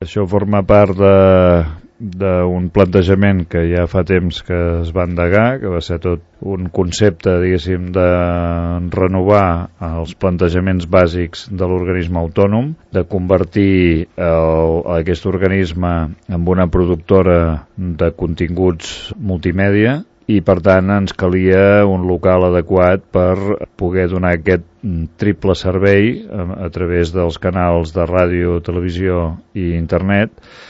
Això forma part d'un plantejament que ja fa temps que es va endegar, que va ser tot un concepte, diguéssim, de renovar els plantejaments bàsics de l'organisme autònom, de convertir aquest organisme en una productora de continguts multimèdia, i per tant ens calia un local adequat per poder donar aquest triple servei a través dels canals de ràdio, televisió i internet,